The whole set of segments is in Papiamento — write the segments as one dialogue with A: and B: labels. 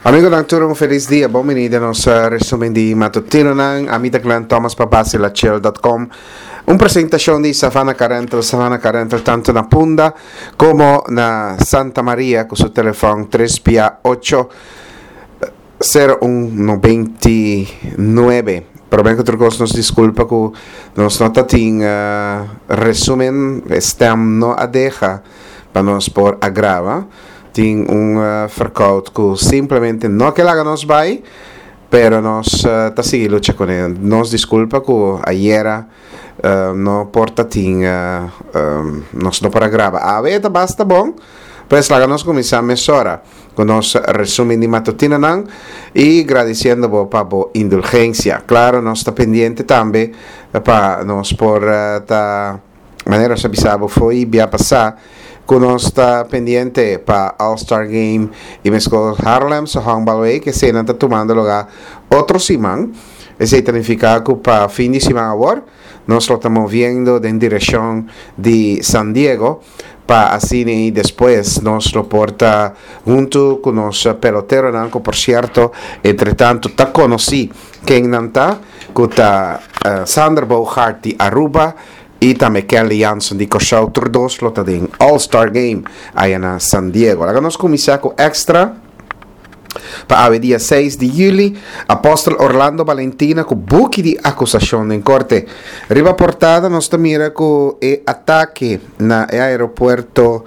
A: Amigonan tur un felis dia, bon bini den nos resumen di matutinonan. Ami ta Glenn Thomas pa basilachel.com. Un presentacion di Savannah Car Rental, Savannah Car Rental tanto na Punda como na Santa Maria cu su telefon 3 pia 8 01 99. Prome cu tur cos nos disculpa cu nos no ta tin resumen, e stem no a deha pa nos por a graba. Tin un verkoud cu simplemente no ke laga nos bay, pero nos ta sigui lucha cune. Nos disculpa cu ayera no por ta tin, nos no por a graba. Awe ta basta bon, pues laga nos cuminsa mesora cu nos resumen di matutinonan y gradiciendo bo pa bo indulgencia. Claro, nos ta pendiente tambe pa nos por ta. Manera nos a bisa bo fo'i bia pasá ku nos ta pendiente pa All Star Game i meskos Harlemse Honkbalweek, eseinan ta tumando lugá otro siman. Esei ta nifiká ku pa fin di siman awor nos lo ta moviendo den direkshon di San Diego pa asina i despues nos lo por ta huntu ku nos peloteronan ku por sierto entretantu ta konosí ken nan ta ku ta Sander Bogaert di Aruba, I tambe Kenley Jansen di Kòrsou tur dos lo ta den All Star Game aya na San Diego. Laga nos kuminsá ku Extra pa awe dia seis di yüli, Apòstel Orlando Balentina ku buki di akusashon den korte. Riba portada nos ta mira ku e atake na e aeropuerto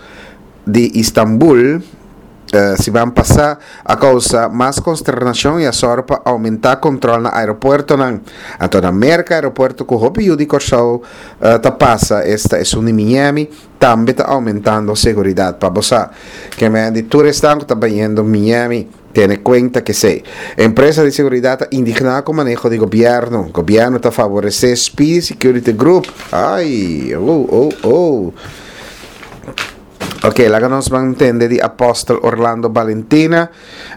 A: di Istanbul siman pasá a kousa mas konsternashon i a sòru pa oumentá kontròl na aeropuertonan. Anto na Merka, aeropuerto ku hopi yu di Kòrsou ta pasa, esta esun di Miami, tambe ta oumentando seguridat. Pa bo sa, ke men di tur esnan ku ta bayendo Miami, tene kuenta kesei. Empresa di seguridat ta indigná ku maneho di gobièrnu. Gobièrnu ta favoresé Speedy Security Group. Ai, oh, oh, oh. Ok, laga nos ban tende di Apostel Orlando Balentina.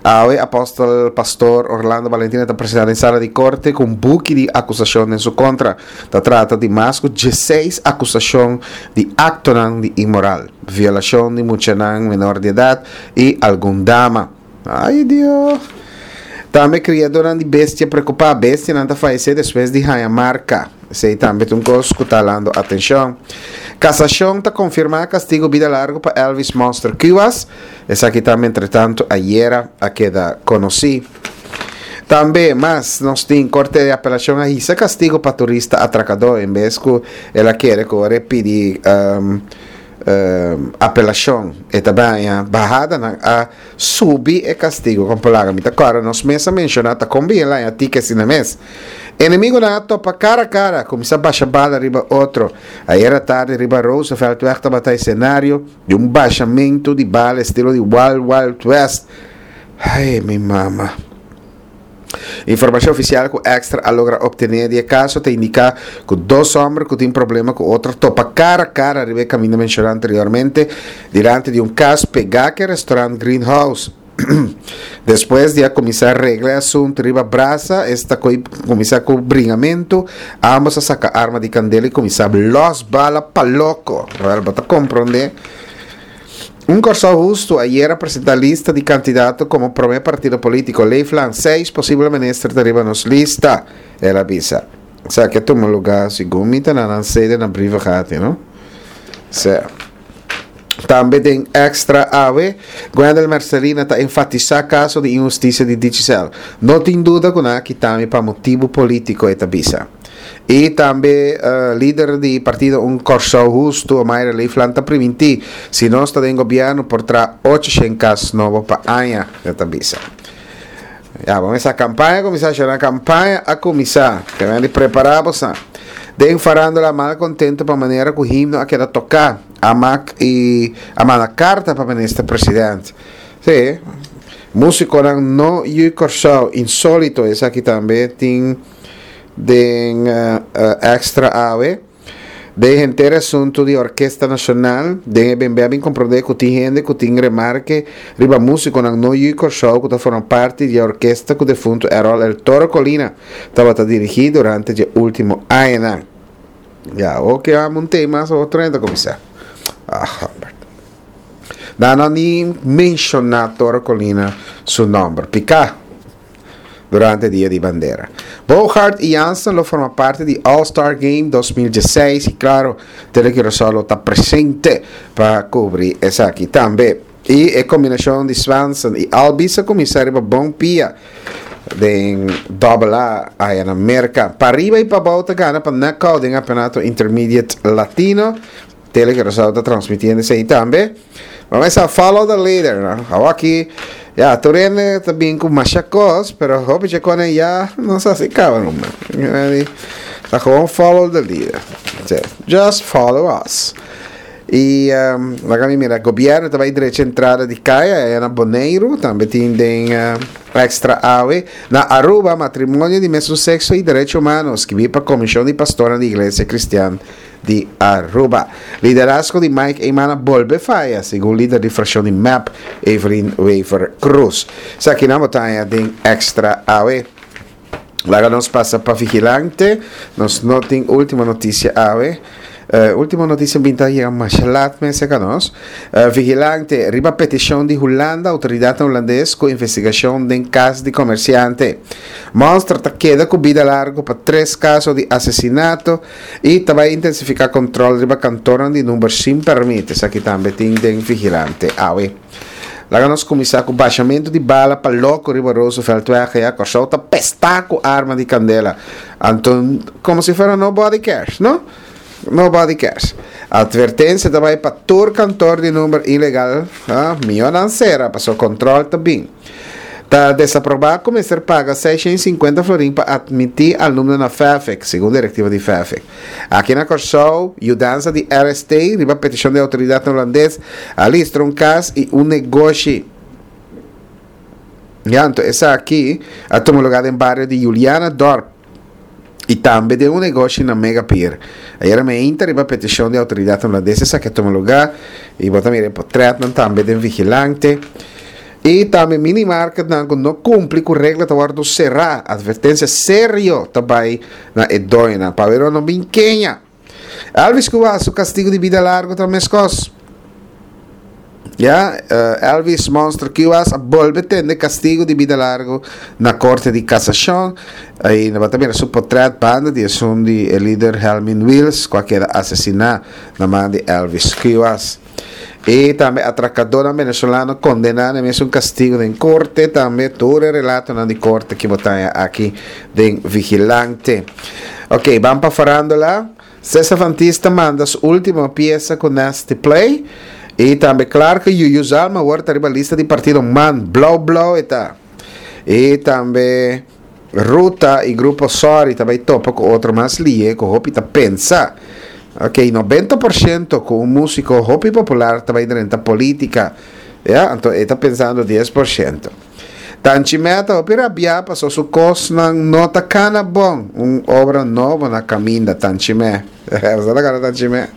A: Awe Apostel Pastor Orlando Balentina ta presenta den sala di korte ku un buki di akusashon den su kontra. Ta trata di mas ku dieseis akusashon di aktonan di inmoral, violashon di muchanan menor di edat i algun dama. Ay Dios! Tambe kriadónan di bestia preokupá. Bestianan ta fayesé despues di haña marka. Esei tambe ta un kos ku ta halando atenshon. Kasashon ta konfirmá kastigu bida largu pa Elvis Monster Cuas. Esaki tambe entretantu ayera a keda konosí. Tambe mas nos tin Korte di Apelashon a hisa kastigu pa turista atrakadó en bes ku el a kere ku ora e pidi apelashon e ta baña bahadanan a Subi e castigo con palaga. Mi ta corda nos mes a menciona ta con bien laña tique asina mes. Enemigunan a topa cara a cara, cuminsa basha bala riba otro. Ayer atardi riba Rooseveltweg tabata escenario di un bashamento di bala estilo di Wild Wild West. Ay, mi mama. Informacion oficial cu Extra a logra obtene di e caso ta indica cu dos homber cu tin problema cu otro topa cara a cara riba e caminda menciona anteriormente dilanti di un cas pega cu e restaurant Green House. Despues di a cuminsa regla e asunto riba brasa, esta cu cuminsa cu bringamento, ambos a saca arma di candela y cuminsa los bala pa loco. Wel, bo ta compronde. Un Kòrsou Hustu ayer a presentá lista di kandidato komo promé partido polítiko. Leeflang, Seis posibel minister ta riba nos lista, el a bisa. Esaki a tuma lugá segun mi ta na nan sede na Brievengat, no? Sea. Tambe den Extra awe, Gwendel Mercelina ta enfatisá kaso di inhustisia di Digicel. No tin duda ku nan a kita mi pa motibu polítiko, e ta bisa. I tambe lider di partido Un Kòrsou Hustu, Omayra Leeflang ta primintí, si nos ta den gobièrnu por traha 800 kas nobo pa aña, e ta bisa. Ya, bo mesa kampaña a kuminsá, shona kampaña a kuminsá. Ke men di prepará bosan. Den farándula malkontentu pa manera ku himno a keda toká, Amak i a manda karta pa minister president. Sí, músikonan no yu Kòrsou, insólito esaki tambe tin. Den Extra awe, den henter e asuntu di Orkesta Nashonal, den e bembe a bin komprondé ku tin hende ku tin remarke riba músikonan no yu Kòrsou ku ta forma parti di e orkesta ku defuntu Errol El Toro Colina tabata dirigí durante dje último añanan. Ya, oke amo un tema, otro hende ta kuminsá. Ah, homber. Nan no ni menshoná Toro Colina su nòmber. Piká durante Dia di Bandera. Bogaert i Jansen lo forma parti di All Star Game 2016 i klaro Tele Curaçao lo ta presente pa kubri esaki tambe. I e kombinashon di Swanson i Albies a kuminsá riba bon pia den Double A aya na Merka. Pariba i pabou ta gana pa knockout den Kampeonato Intermediate Latino. Tele Curaçao ta transmitiendo esei tambe. Bo mester a follow the leader, no? Awor aki, ya, tur hende ta bin ku masha kos, pero hopi dje kone ya no sa si kaba numa. Ta gewoon follow the leader. Just follow us. I um, laga mi mira, gobierno ta bai drecha entrada di kaya aya na Boneiru, tambe tin den uh, extra awe. Na Aruba, matrimonio di mesun sexo i derecho humano, skibí pa Komishon di Pastornan di Iglesia Kristian di Aruba. Liderazgo di Mike Eman a bolbe faya, segun lider di fraccion di mep, Evelyn Wever-Croes. Esaki nan bo ta haña den Extra awe. Laga nos pasa pa Vigilante. Nos no tin ultimo noticia awe. Uh, ultimo noticia bin ta yega masha laat mes ka nos. Vigilante, riba peticion di Hulanda, autoridadnan hulandes cu investigacion den cas di comerciante. Monster ta keda cu bida largo pa tres caso di asesinato. I ta bai intensifiká kòntròl riba kantornan di number sin pèrmit. Esaki tambe tin den Vigilante awe. Laga nos kuminsá ku bashamentu di bala pa loko riba Rooseveltweg ya. Kòrsou ta pestá ku arma di kandela. Anto komo si fuera nobody cares, no? Nobody cares. Atvertensia ta bai pa tur kantor di number ilegal. Mihó nan sera pasobra kòntròl ta bin. Ta desaprobá ku mester paga 650 florin pa atmití alumno na FAFEC, segun direktiva di FAFEC. Aki na Kòrsou, yudansa di RST, riba petishon di outoridatnan hulandes, a listra un kas i un negoshi. Ya, anto esaki a tuma lugá den bario di Julianadorp. I tambe den un negoshi na Mega Pier. Ayera meinta riba petishon di outoridatnan hulandes esaki a tuma lugá i bo ta mira e potretnan tambe den Vigilante. I tambe minimarketnan ku no kumpli ku regla ta wòrdu será. Atvertensia serio ta bai na e doñonan pa wero no bin keña. Elvis ku wak su kastigu di bida largu ta meskos. Ya, Elvis Monster Cuas a bolbe tende kastigu di bida largu na korte di kasashon. I no ta mira su potret banda di esun di e lider Helmin Wiels ku a keda asesiná na man di Elvis Cuas. I tambe atrakadónan venezolano kondená na e mesun kastigu den korte. Tambe tur e relatonan di korte ki bo ta haña aki den Vigilante. Ok, ban pa farándula. Cesar Van Ties ta manda su ultimo piesa ku Nasty Play i tambe klar ku Yuyu Zalm awor ta riba lista di partido man, blou blou e ta. I tambe Ruta i grupo Sorry ta bai topa ku otro mas lie ku hopi ta pensa. Ok, 90% ku un musiko hopi popular ta bai drenta politika. Ya, anto e ta pensando 10%. Tanchi Meta hopi rabiá paso su kosnan no ta kana bon. Un obra nobo na kaminda, Tanchi Me. Boso ta kòrda Tanchi Me?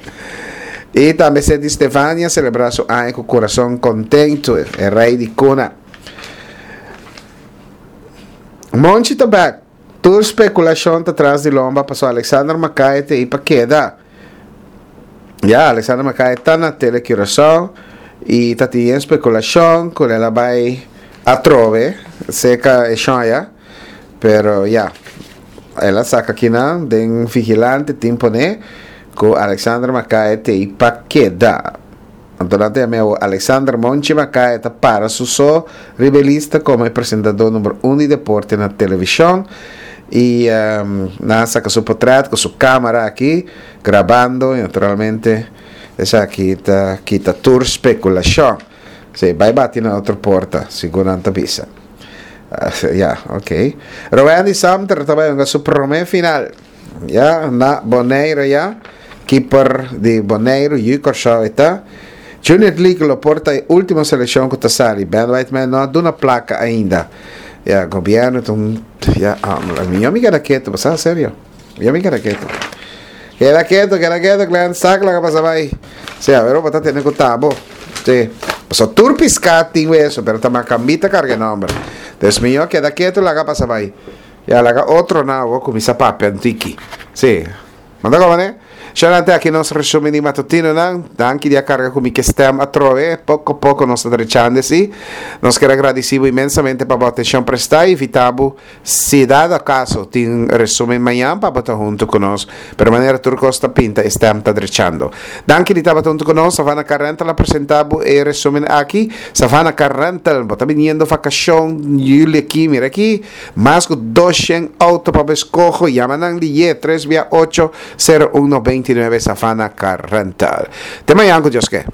A: I tambe Seti Stefania selebrá su aña ku kurason kontentu, e rei di kuna. Monchi ta bèk. Tur spekulashon ta tras di lomba paso Alexander Mackay ta ei pa keda. Ya, Alexander Mackay ta na Tele Curaçao y ta tin yen spekulashon ku el a bai atrobe seka e shon aya. Pero ya, el a saka kinan den Vigilante tin pone ku Alexander Mackay ta ei pa keda. Anto nan ta yam'é awor Alexander Monchi Macaya ta para su so riba e lista komo e presentadó number un di deporte na televishon i nan a saka su potret ku su kamera aki grabando i naturalmente esaki ta kita tur spekulashon. Si, bai bati na otro porta, segun nan ta bisa. Ya, ok. Rowendy Samter ta bai hunga su promé final. Ya, na Bonaire ya. Keeper di Boneiru, Yu Kòrsou e ta. Junior League lo por ta e último selekshon ku ta sali. Ben Whiteman no a duna plaka ainda. Ya, gobièrnu ta un, ya, mi yo mi keda ketu, bo sa, serio. Yo mi keda ketu. Keda ketu, keda ketu, Glenn, sak loke a pasa bai. Sí, a wer bo ta tene ku tabo. Sí. Pasobra tur piská tin weso, pero ta makambí ta karga e nòmber. Dus mi yo keda ketu laga pasa bai. Ya laga otro na awo kuminsá papia un tiki. Sí. Manda komo ne? Shanante aki nos resumen di matutinonan. Danki di a karga ku mi ke stem atrobe. Poko poko nos ta drechando si. Nos ker a gradisí bo inmensamente pa bo atenshon prestá i invitá bo si dado akaso tin resumen mañan pa bo ta huntu ku nos. Pero manera tur kos ta pinta e stem ta drechando. Danki di tabata huntu ku nos. Savannah Car Rental a presentá bo e resumen aki. Savannah Car Rental, bo ta biniendo vakashon juli aki, mira aki. Mas ku 200 outo pa bo eskoho. Yama nan liye tres bia ocho, sero un 99 Savannah Car Rental. Te mañan ku Dios ke.